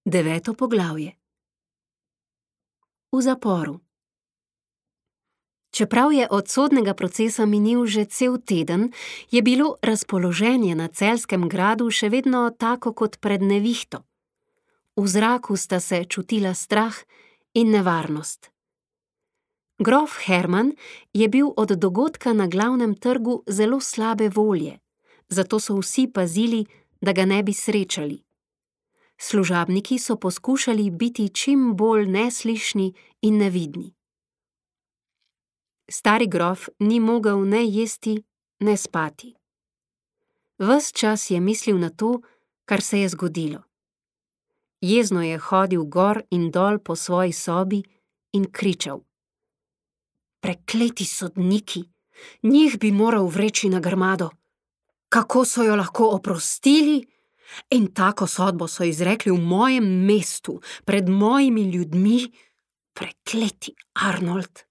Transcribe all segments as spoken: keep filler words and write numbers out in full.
Deveto poglavje. V zaporu. Čeprav je od sodnega procesa minil že cel teden, je bilo razpoloženje na Celjskem gradu še vedno tako kot pred nevihto. V zraku sta se čutila strah in nevarnost. Grof Herman je bil od dogodka na glavnem trgu zelo slabe volje, zato so vsi pazili, da ga ne bi srečali. Služabniki so poskušali biti čim bolj neslišni in nevidni. Stari grof ni mogel ne jesti, ne spati. Ves čas je mislil na to, kar se je zgodilo. Jezno je hodil gor in dol po svoji sobi in kričal: Prekleti sodniki, njih bi moral vreči na grmado. Kako so jo lahko oprostili? In tako sodbo so izrekli v mojem mestu, pred mojimi ljudmi, prekleti Arnold.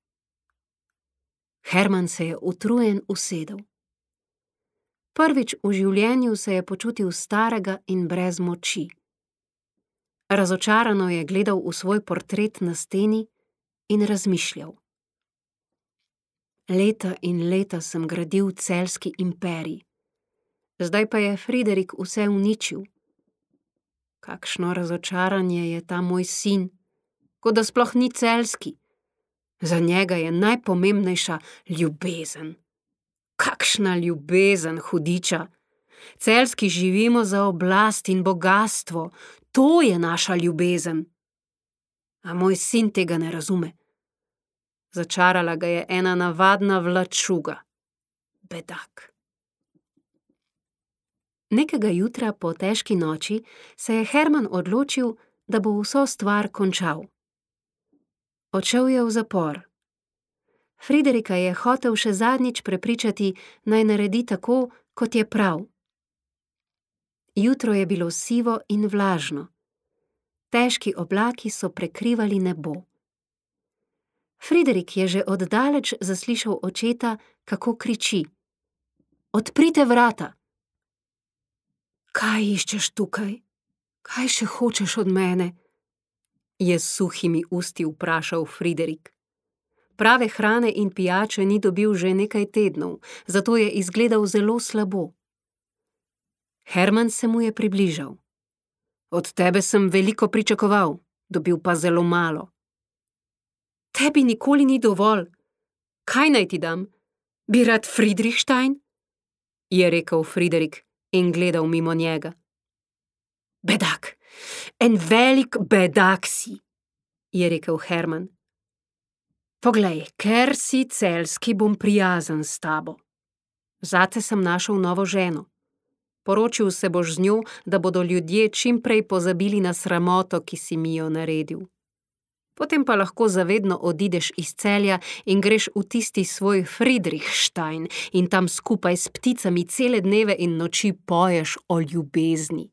Herman se je utrujen usedel. Prvič v življenju se je počutil starega in brez moči. Razočarano je gledal v svoj portret na steni in razmišljal. Leta in leta sem gradil celjski imperij. Zdaj pa je Friderik vse uničil. Kakšno razočaranje je ta moj sin, kot da sploh ni celjski. Za njega je najpomembnejša ljubezen. Kakšna ljubezen, hudiča! Celjski živimo za oblast in bogastvo, to je naša ljubezen. A moj sin tega ne razume. Začarala ga je ena navadna vlačuga. Bedak. Nekega jutra po težki noči se je Herman odločil, da bo vso stvar končal. Odšel je v zapor. Friderika je hotel še zadnjič prepričati, naj naredi tako, kot je prav. Jutro je bilo sivo in vlažno. Težki oblaki so prekrivali nebo. Friderik je že oddaleč zaslišal očeta, kako kriči: Odprite vrata! Kaj iščeš tukaj? Kaj še hočeš od mene? Je s suhimi usti vprašal Friderik. Prave hrane in pijače ni dobil že nekaj tednov, zato je izgledal zelo slabo. Herman se mu je približal. Od tebe sem veliko pričakoval, dobil pa zelo malo. Tebi nikoli ni dovolj. Kaj naj ti dam? Bi rad Friedrichstein? Je rekel Friderik in gledal mimo njega. Bedak, en velik bedak si, je rekel Herman. Poglej, ker si celjski, bom prijazen s tabo. Zate sem našel novo ženo. Poročil se boš z njo, da bodo ljudje čim prej pozabili na sramoto, ki si mi jo naredil. Potem pa lahko zavedno odideš iz Celja in greš v tisti svoj Friedrichstein in tam skupaj s pticami cele dneve in noči poješ o ljubezni.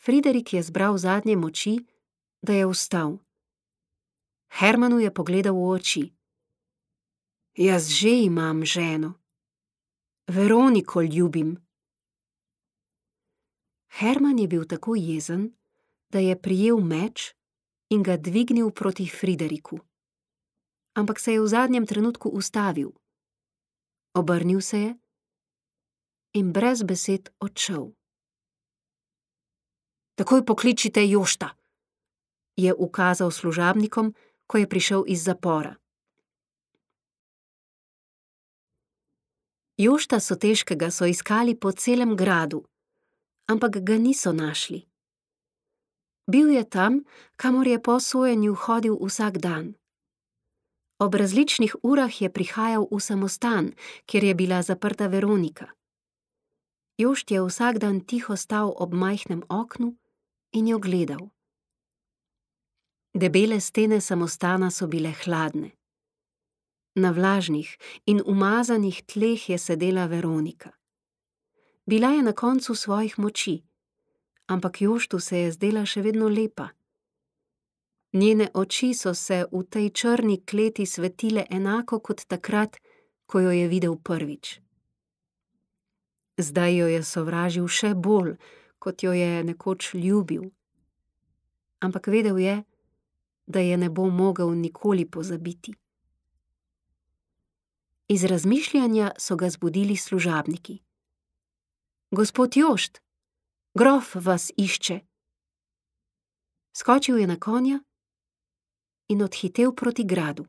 Friderik je zbral zadnje moči, da je vstal. Hermanu je pogledal v oči. Jaz že imam ženo. Veroniko ljubim. Herman je bil tako jezen, da je prijel meč in ga dvignil proti Frideriku. Ampak se je v zadnjem trenutku ustavil. Obrnil se je in brez besed odšel. Takoj pokličite Jošta, je ukazal služabnikom, ko je prišel iz zapora. Jošta Soteškega so iskali po celem gradu, ampak ga niso našli. Bil je tam, kamor je po sojenju hodil vsak dan. Ob različnih urah je prihajal v samostan, kjer je bila zaprta Veronika. Jošt je vsak dan tiho stal ob majhnem oknu in jo gledal. Debele stene samostana so bile hladne. Na vlažnih in umazanih tleh je sedela Veronika. Bila je na koncu svojih moči, ampak Joštu se je zdela še vedno lepa. Njene oči so se v tej črni kleti svetile enako kot takrat, ko jo je videl prvič. Zdaj jo je sovražil še bolj, kot jo je nekoč ljubil, ampak vedel je, da je ne bo mogel nikoli pozabiti. Iz razmišljanja so ga zbudili služabniki. Gospod Jošt, grof vas išče. Skočil je na konja in odhitel proti gradu.